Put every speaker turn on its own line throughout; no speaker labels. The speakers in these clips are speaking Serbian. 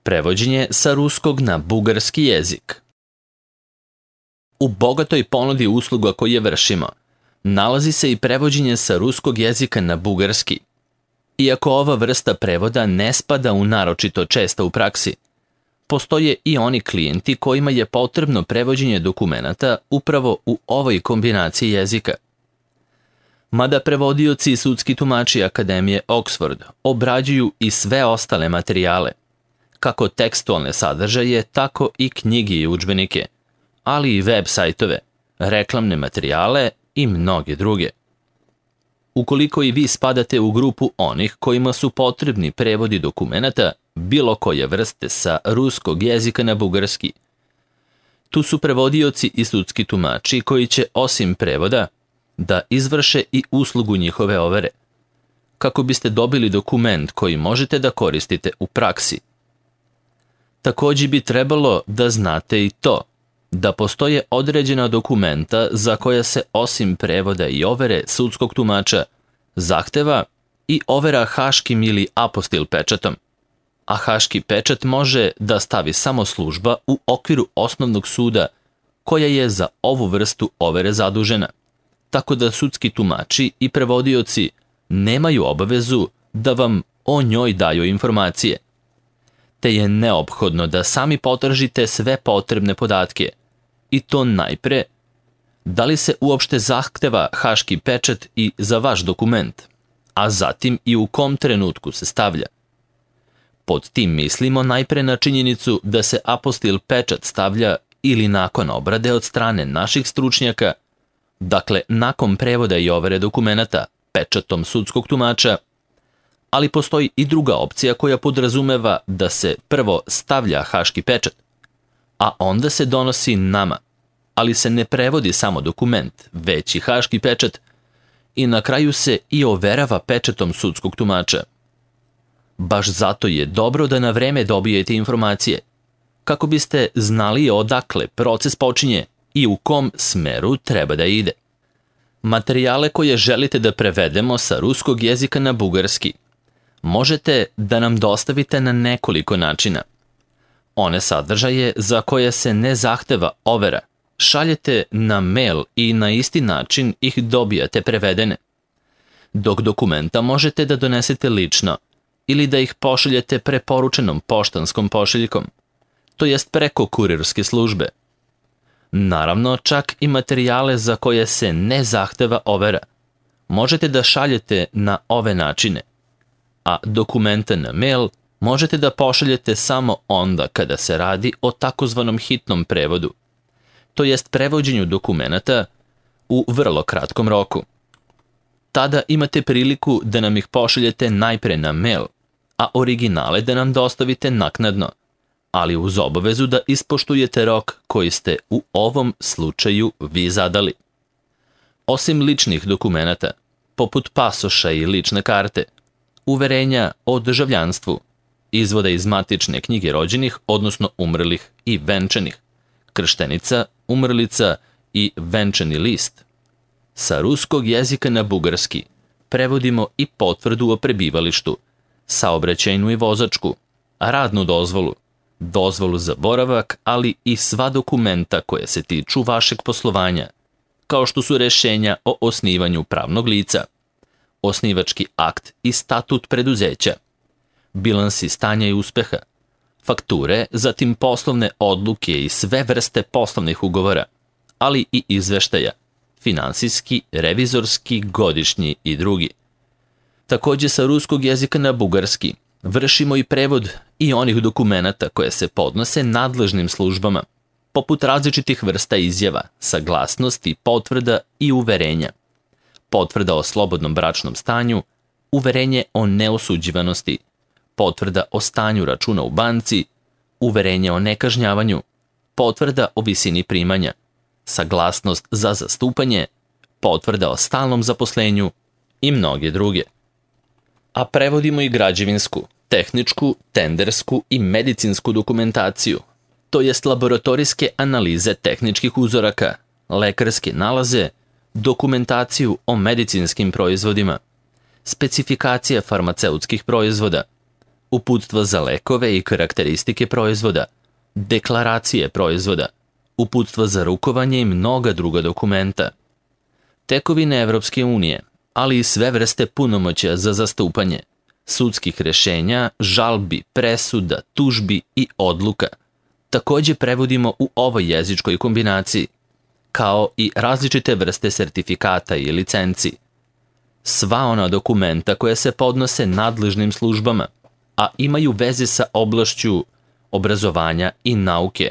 Prevođenje sa ruskog na bugarski jezik. U bogatoj ponudi usluga koje vršimo, nalazi se i prevođenje sa ruskog jezika na bugarski. Iako ova vrsta prevoda ne spada u naročito česta u praksi, postoje i oni klijenti kojima je potrebno prevođenje dokumenata upravo u ovoj kombinaciji jezika. Mada prevodioci i sudski tumači Akademije Oxford obrađuju i sve ostale materijale, kako tekstualne sadržaje, tako i knjige i udžbenike, ali i web sajtove, reklamne materijale i mnoge druge. Ukoliko i vi spadate u grupu onih kojima su potrebni prevodi dokumenata bilo koje vrste sa ruskog jezika na bugarski, tu su prevodioci i sudski tumači koji će osim prevoda da izvrše i uslugu njihove overe, kako biste dobili dokument koji možete da koristite u praksi. Također bi trebalo da znate i to, da postoje određena dokumenta za koja se osim prevoda i overe sudskog tumača zahteva i overa haškim ili apostil pečatom, a haški pečat može da stavi samo služba u okviru osnovnog suda koja je za ovu vrstu overe zadužena, tako da sudski tumači i prevodioci nemaju obavezu da vam o njoj daju informacije, te je neophodno da sami potražite sve potrebne podatke, i to najpre, da li se uopšte zahteva haški pečat i za vaš dokument, a zatim i u kom trenutku se stavlja. Pod tim mislimo najpre na činjenicu da se apostil pečat stavlja ili nakon obrade od strane naših stručnjaka, dakle nakon prevoda i overe dokumenata pečatom sudskog tumača, ali postoji i druga opcija koja podrazumeva da se prvo stavlja haški pečat, a onda se donosi nama, ali se ne prevodi samo dokument, već i haški pečat, i na kraju se i overava pečatom sudskog tumača. Baš zato je dobro da na vreme dobijete informacije, kako biste znali odakle proces počinje i u kom smeru treba da ide. Materijale koje želite da prevedemo sa ruskog jezika na bugarski možete da nam dostavite na nekoliko načina. One sadržaje za koje se ne zahteva overa šaljete na mail i na isti način ih dobijate prevedene, dok dokumenta možete da donesete lično ili da ih pošaljete preporučenom poštanskom pošiljkom, to jest preko kurirske službe. Naravno, čak i materijale za koje se ne zahteva overa možete da šaljete na ove načine, a dokumenta na mail možete da pošaljete samo onda kada se radi o takozvanom hitnom prevodu, to jest prevođenju dokumenata u vrlo kratkom roku. Tada imate priliku da nam ih pošaljete najpre na mail, a originale da nam dostavite naknadno, ali uz obavezu da ispoštujete rok koji ste u ovom slučaju vi zadali. Osim ličnih dokumenata, poput pasoša i lične karte, uverenja o državljanstvu, izvoda iz matične knjige rođenih, odnosno umrlih i venčanih, krštenica, umrlica i venčani list, sa ruskog jezika na bugarski prevodimo i potvrdu o prebivalištu, saobraćajnu i vozačku, radnu dozvolu, dozvolu za boravak, ali i sva dokumenta koje se tiču vašeg poslovanja, kao što su rešenja o osnivanju pravnog lica, osnivački akt i statut preduzeća, bilansi stanja i uspeha, fakture, zatim poslovne odluke i sve vrste poslovnih ugovora, ali i izveštaja, finansijski, revizorski, godišnji i drugi. Također sa ruskog jezika na bugarski vršimo i prevod i onih dokumenata koje se podnose nadležnim službama, poput različitih vrsta izjava, saglasnosti, potvrda i uverenja, potvrda o slobodnom bračnom stanju, uverenje o neosuđivanosti, potvrda o stanju računa u banci, uverenje o nekažnjavanju, potvrda o visini primanja, saglasnost za zastupanje, potvrda o stalnom zaposlenju i mnoge druge. A prevodimo i građevinsku, tehničku, tendersku i medicinsku dokumentaciju, to jest laboratorijske analize tehničkih uzoraka, lekarske nalaze, dokumentaciju o medicinskim proizvodima, specifikacije farmaceutskih proizvoda, uputstva za lekove i karakteristike proizvoda, deklaracije proizvoda, uputstva za rukovanje i mnoga druga dokumenta. Tekovine Evropske unije, ali i sve vrste punomoćja za zastupanje, sudskih rešenja, žalbi, presuda, tužbi i odluka, takođe prevodimo u ovoj jezičkoj kombinaciji, kao i različite vrste sertifikata i licenci. Sva ona dokumenta koja se podnose nadležnim službama, a imaju veze sa oblašću obrazovanja i nauke,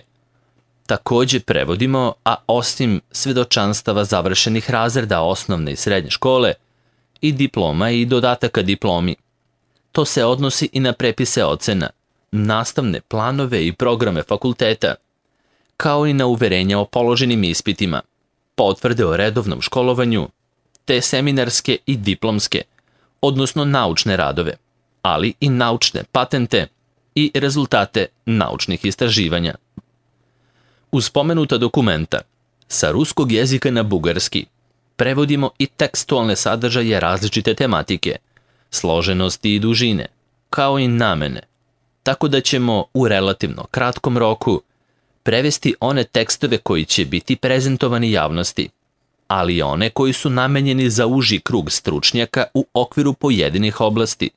takođe prevodimo, a osim svedočanstava završenih razreda osnovne i srednje škole, i diploma i dodataka diplomi. To se odnosi i na prepise ocena, nastavne planove i programe fakulteta, kao i na uverenja o položenim ispitima, potvrde o redovnom školovanju, te seminarske i diplomske, odnosno naučne radove, ali i naučne patente i rezultate naučnih istraživanja. Uz spomenuta dokumenta, sa ruskog jezika na bugarski, prevodimo i tekstualne sadržaje različite tematike, složenosti i dužine, kao i namene, tako da ćemo u relativno kratkom roku prevesti one tekstove koji će biti prezentovani javnosti, ali i one koji su namenjeni za uži krug stručnjaka u okviru pojedinih oblasti.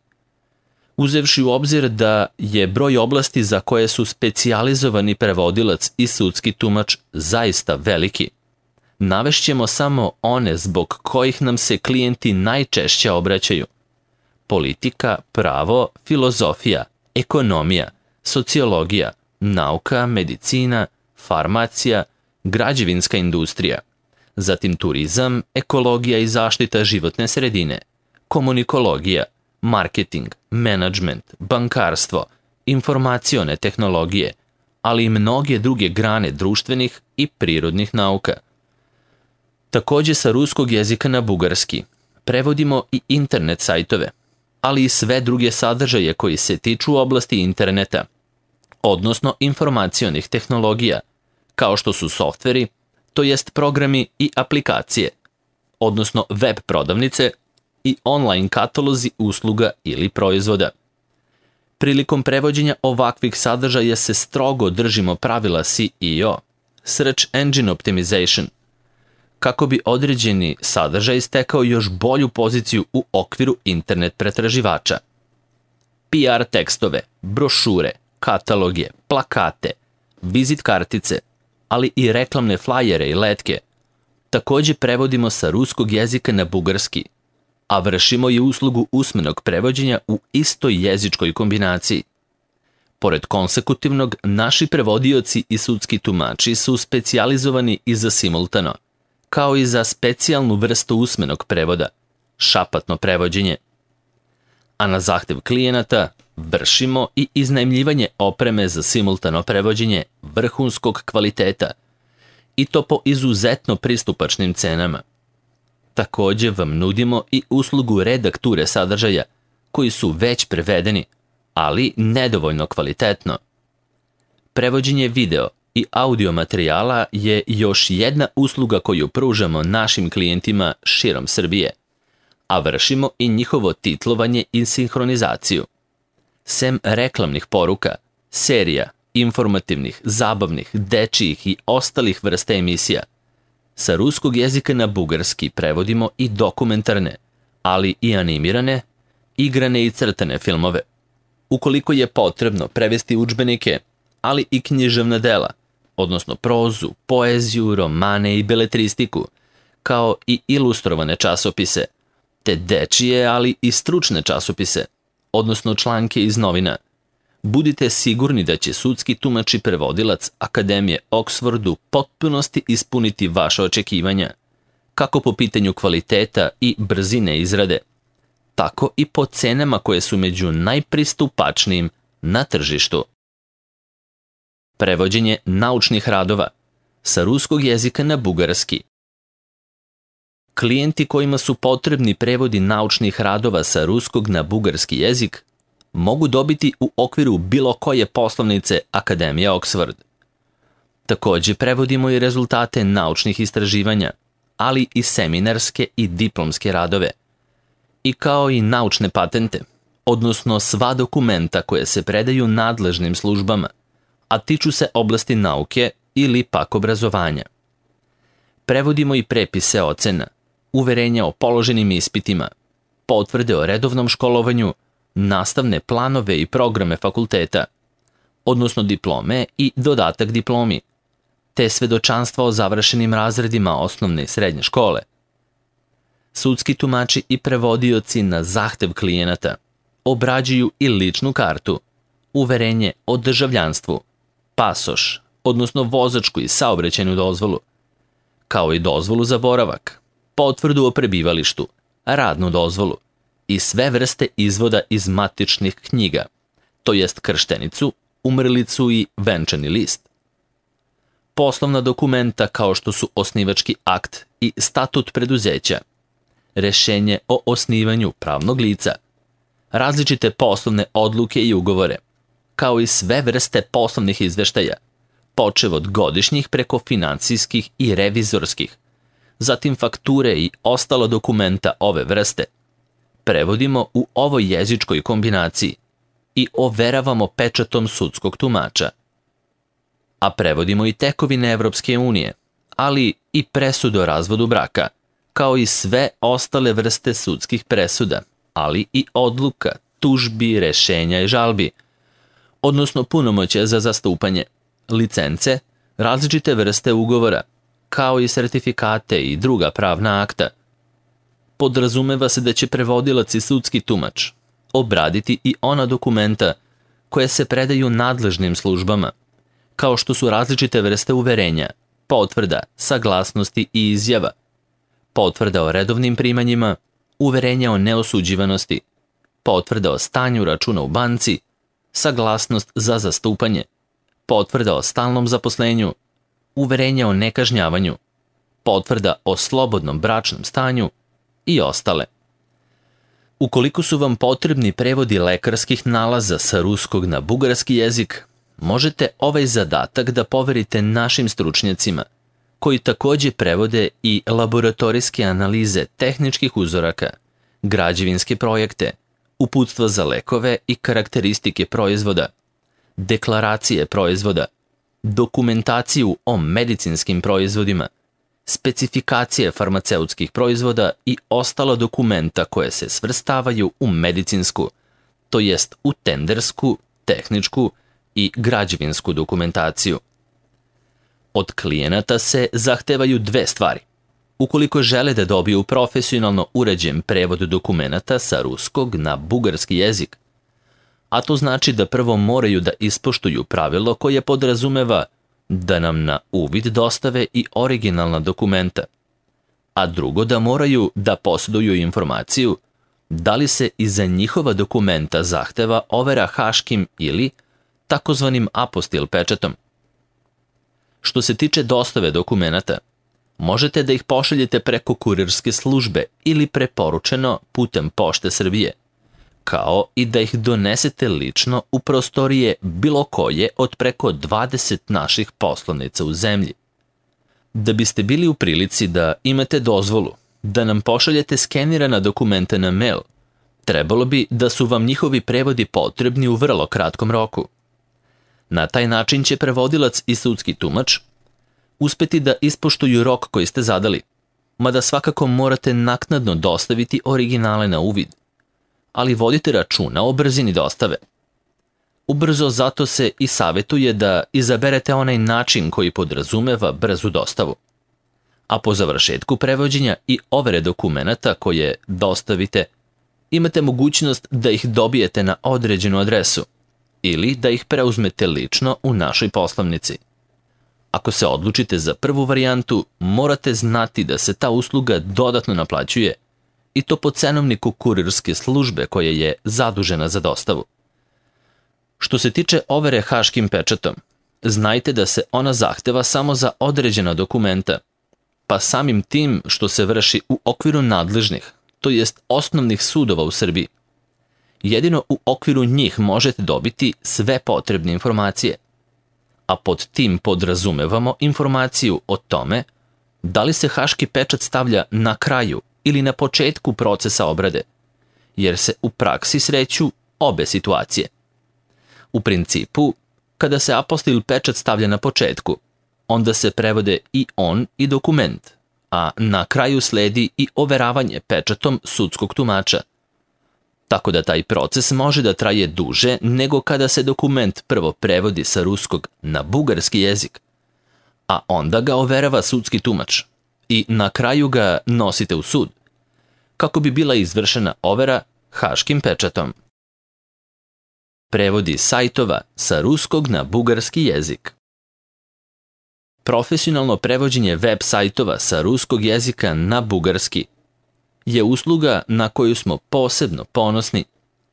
Uzevši u obzir da je broj oblasti za koje su specijalizovani prevodilac i sudski tumač zaista veliki, navešćemo samo one zbog kojih nam se klijenti najčešće obraćaju: politika, pravo, filozofija, ekonomija, sociologija, nauka, medicina, farmacija, građevinska industrija, zatim turizam, ekologija i zaštita životne sredine, komunikologija, marketing, menadžment, bankarstvo, informacione tehnologije, ali i mnoge druge grane društvenih i prirodnih nauka. Takođe sa ruskog jezika na bugarski prevodimo i internet sajtove, ali i sve druge sadržaje koji se tiču oblasti interneta, odnosno informacionih tehnologija, kao što su softveri, to jest programi i aplikacije, odnosno web prodavnice i online katalozi usluga ili proizvoda. Prilikom prevođenja ovakvih sadržaja se strogo držimo pravila SEO, Search Engine Optimization, kako bi određeni sadržaj stekao još bolju poziciju u okviru internet pretraživača. PR tekstove, brošure, kataloge, plakate, vizit kartice, ali i reklamne flajere i letke, takođe prevodimo sa ruskog jezika na bugarski, a vršimo i uslugu usmenog prevođenja u istoj jezičkoj kombinaciji. Pored konsekutivnog, naši prevodioci i sudski tumači su specijalizovani i za simultano, kao i za specijalnu vrstu usmenog prevoda, šapatno prevođenje. A na zahtev klijenata vršimo i iznajmljivanje opreme za simultano prevođenje vrhunskog kvaliteta, i to po izuzetno pristupačnim cenama. Takođe vam nudimo i uslugu redakture sadržaja koji su već prevedeni, ali nedovoljno kvalitetno. Prevođenje video i audio materijala je još jedna usluga koju pružamo našim klijentima širom Srbije, a vršimo i njihovo titlovanje i sinhronizaciju. Sem reklamnih poruka, serija, informativnih, zabavnih, dečijih i ostalih vrsta emisija, sa ruskog jezika na bugarski prevodimo i dokumentarne, ali i animirane, igrane i crtane filmove. Ukoliko je potrebno prevesti udžbenike, ali i književna dela, odnosno prozu, poeziju, romane i beletristiku, kao i ilustrovane časopise, te dečije, ali i stručne časopise, odnosno članke iz novina, budite sigurni da će sudski tumač i prevodilac Akademije Oxford u potpunosti ispuniti vaše očekivanja, kako po pitanju kvaliteta i brzine izrade, tako i po cenama koje su među najpristupačnijim na tržištu. Prevođenje naučnih radova sa ruskog jezika na bugarski. Klijenti kojima su potrebni prevodi naučnih radova sa ruskog na bugarski jezik mogu dobiti u okviru bilo koje poslovnice Akademije Oxford. Takođe prevodimo i rezultate naučnih istraživanja, ali i seminarske i diplomske radove. I kao i naučne patente, odnosno sva dokumenta koje se predaju nadležnim službama, a tiču se oblasti nauke ili pak obrazovanja. Prevodimo i prepise ocena, uverenja o položenim ispitima, potvrde o redovnom školovanju, nastavne planove i programe fakulteta, odnosno diplome i dodatak diplomi, te svedočanstva o završenim razredima osnovne i srednje škole. Sudski tumači i prevodioci na zahtev klijenata obrađuju i ličnu kartu, uverenje o državljanstvu, pasoš, odnosno vozačku i saobraćajnu dozvolu, kao i dozvolu za boravak, potvrdu o prebivalištu, radnu dozvolu i sve vrste izvoda iz matičnih knjiga, to jest krštenicu, umrlicu i venčani list. Poslovna dokumenta kao što su osnivački akt i statut preduzeća, rešenje o osnivanju pravnog lica, različite poslovne odluke i ugovore, kao i sve vrste poslovnih izveštaja, počev od godišnjih preko finansijskih i revizorskih, zatim fakture i ostala dokumenta ove vrste, prevodimo u ovoj jezičkoj kombinaciji i overavamo pečatom sudskog tumača. A prevodimo i tekovine Evropske unije, ali i presudu o razvodu braka, kao i sve ostale vrste sudskih presuda, ali i odluka, tužbi, rešenja i žalbi, odnosno punomoćja za zastupanje, licence, različite vrste ugovora, kao i sertifikate i druga pravna akta. Podrazumeva se da će prevodilac i sudski tumač obraditi i ona dokumenta koje se predaju nadležnim službama, kao što su različite vrste uverenja, potvrda, saglasnosti i izjava, potvrda o redovnim primanjima, uverenja o neosuđivanosti, potvrda o stanju računa u banci, saglasnost za zastupanje, potvrda o stalnom zaposlenju, uverenja o nekažnjavanju, potvrda o slobodnom bračnom stanju i ostale. Ukoliko su vam potrebni prevodi lekarskih nalaza sa ruskog na bugarski jezik, možete ovaj zadatak da poverite našim stručnjacima, koji takođe prevode i laboratorijske analize tehničkih uzoraka, građevinske projekte, uputstva za lekove i karakteristike proizvoda, deklaracije proizvoda, dokumentaciju o medicinskim proizvodima, specifikacije farmaceutskih proizvoda i ostala dokumenta koje se svrstavaju u medicinsku, to jest u tendersku, tehničku i građevinsku dokumentaciju. Od klijenata se zahtevaju dve stvari. Ukoliko žele da dobiju profesionalno urađen prevod dokumenata sa ruskog na bugarski jezik, a to znači da prvo moraju da ispoštuju pravilo koje podrazumeva da nam na uvid dostave i originalna dokumenta, a drugo da moraju da posjeduju informaciju da li se iza njihova dokumenta zahteva overa haškim ili takozvanim apostil pečatom. Što se tiče dostave dokumenata, možete da ih pošaljete preko kurirske službe ili preporučeno putem Pošte Srbije, kao i da ih donesete lično u prostorije bilo koje od preko 20 naših poslovnica u zemlji. Da biste bili u prilici da imate dozvolu da nam pošaljete skenirana dokumenta na mail, trebalo bi da su vam njihovi prevodi potrebni u vrlo kratkom roku. Na taj način će prevodilac i sudski tumač uspeti da ispoštuju rok koji ste zadali, mada svakako morate naknadno dostaviti originale na uvid, ali vodite računa o brzini dostave. Ubrzo zato se i savjetuje da izaberete onaj način koji podrazumeva brzu dostavu. A po završetku prevođenja i overe dokumenata koje dostavite, imate mogućnost da ih dobijete na određenu adresu ili da ih preuzmete lično u našoj poslovnici. Ako se odlučite za prvu varijantu, morate znati da se ta usluga dodatno naplaćuje i to po cenovniku kurirske službe koja je zadužena za dostavu. Što se tiče overe haškim pečatom, znajte da se ona zahteva samo za određena dokumenta, pa samim tim što se vrši u okviru nadležnih, to jest osnovnih sudova u Srbiji. Jedino u okviru njih možete dobiti sve potrebne informacije, a pod tim podrazumevamo informaciju o tome da li se haški pečat stavlja na kraju ili na početku procesa obrade jer se u praksi sreću obe situacije. U principu, kada se apostil pečat stavlja na početku, onda se prevode i on i dokument, a na kraju sledi i overavanje pečatom sudskog tumača. Tako da taj proces može da traje duže nego kada se dokument prvo prevodi sa ruskog na bugarski jezik, a onda ga overava sudski tumač i na kraju ga nosite u sud, kako bi bila izvršena overa haškim pečatom. Prevodi sajtova sa ruskog na bugarski jezik. Profesionalno prevođenje web sajtova sa ruskog jezika na bugarski je usluga na koju smo posebno ponosni,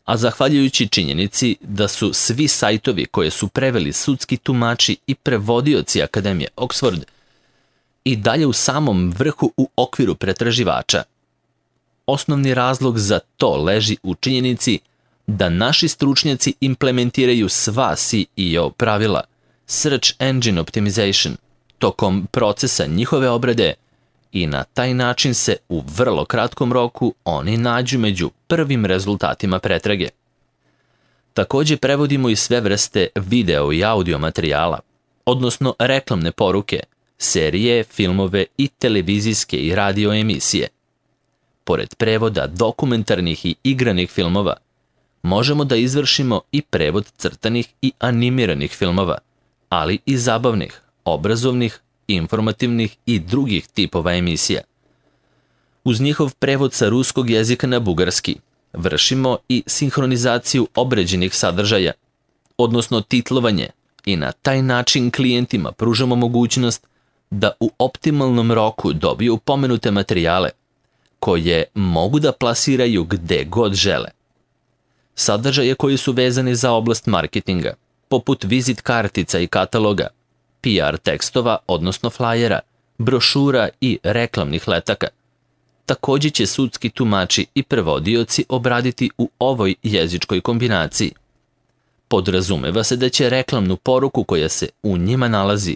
a zahvaljujući činjenici da su svi sajtovi koje su preveli sudski tumači i prevodioci Akademije Oxford i dalje u samom vrhu u okviru pretraživača. Osnovni razlog za to leži u činjenici da naši stručnjaci implementiraju sva SEO pravila, Search Engine Optimization, tokom procesa njihove obrade i na taj način se u vrlo kratkom roku oni nađu među prvim rezultatima pretrage. Takođe prevodimo i sve vrste video i audio materijala, odnosno reklamne poruke, serije, filmove i televizijske i radio emisije. Pored prevoda dokumentarnih i igranih filmova, možemo da izvršimo i prevod crtanih i animiranih filmova, ali i zabavnih, obrazovnih, informativnih i drugih tipova emisija. Uz njihov prevod sa ruskog jezika na bugarski vršimo i sinhronizaciju obrađenih sadržaja, odnosno titlovanje, i na taj način klijentima pružamo mogućnost da u optimalnom roku dobiju pomenute materijale, koje mogu da plasiraju gde god žele. Sadržaje koji su vezani za oblast marketinga, poput vizit kartica i kataloga, PR tekstova, odnosno flajera, brošura i reklamnih letaka, takođe će sudski tumači i prevodioci obraditi u ovoj jezičkoj kombinaciji. Podrazumeva se da će reklamnu poruku koja se u njima nalazi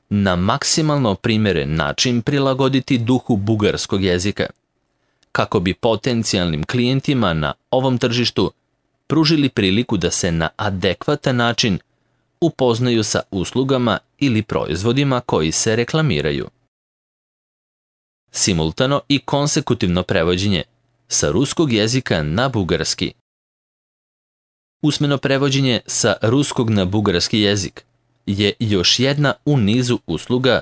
na maksimalno primeren način prilagoditi duhu bugarskog jezika, kako bi potencijalnim klijentima na ovom tržištu pružili priliku da se na adekvatan način upoznaju sa uslugama ili proizvodima koji se reklamiraju. Simultano i konsekutivno prevođenje sa ruskog jezika na bugarski. Usmeno prevođenje sa ruskog na bugarski jezik je još jedna u nizu usluga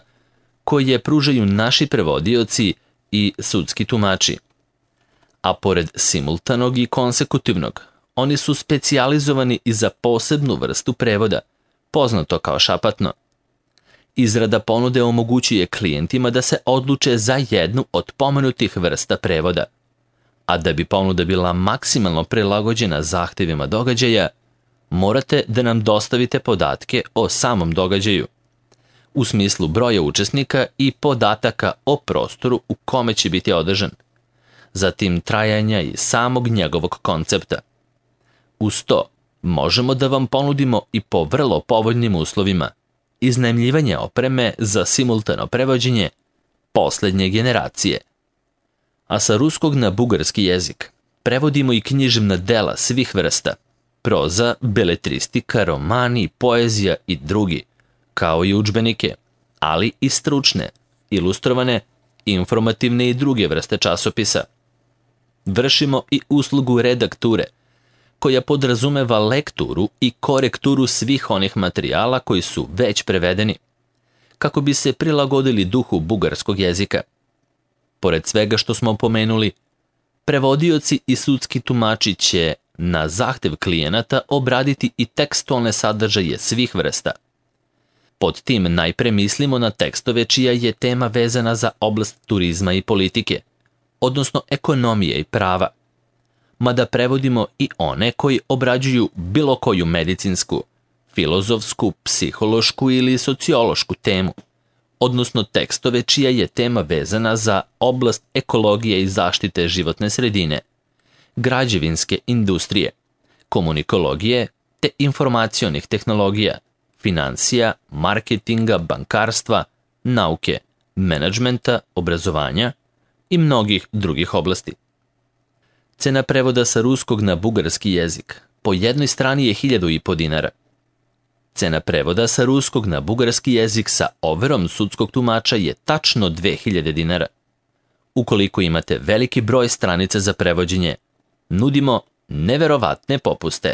koje pružaju naši prevodioci i sudski tumači. A pored simultanog i konsekutivnog, oni su specijalizovani i za posebnu vrstu prevoda, poznato kao šapatno. Izrada ponude omogućuje klijentima da se odluče za jednu od pomenutih vrsta prevoda, a da bi ponuda bila maksimalno prilagođena zahtevima događaja, morate da nam dostavite podatke o samom događaju, u smislu broja učesnika i podataka o prostoru u kome će biti održan, zatim trajanja i samog njegovog koncepta. Uz to, možemo da vam ponudimo i po vrlo povoljnim uslovima iznajmljivanje opreme za simultano prevođenje poslednje generacije. A sa ruskog na bugarski jezik prevodimo i književna dela svih vrsta, proza, beletristika, romani, poezija i drugi, kao i udžbenike, ali i stručne, ilustrovane, informativne i druge vrste časopisa. Vršimo i uslugu redakture, koja podrazumeva lekturu i korekturu svih onih materijala koji su već prevedeni, kako bi se prilagodili duhu bugarskog jezika. Pored svega što smo pomenuli, prevodioci i sudski tumači će na zahtev klijenata obraditi i tekstualne sadržaje svih vrsta. Pod tim najpre mislimo na tekstove čija je tema vezana za oblast turizma i politike, odnosno ekonomije i prava, mada prevodimo i one koji obrađuju bilo koju medicinsku, filozofsku, psihološku ili sociološku temu, odnosno tekstove čija je tema vezana za oblast ekologije i zaštite životne sredine, građevinske industrije, komunikologije te informacionih tehnologija, finansija, marketinga, bankarstva, nauke, menadžmenta, obrazovanja i mnogih drugih oblasti. Cena prevoda sa ruskog na bugarski jezik po jednoj strani je 1.500 dinara. Cena prevoda sa ruskog na bugarski jezik sa overom sudskog tumača je tačno 2.000 dinara. Ukoliko imate veliki broj stranica za prevođenje, nudimo neverovatne popuste.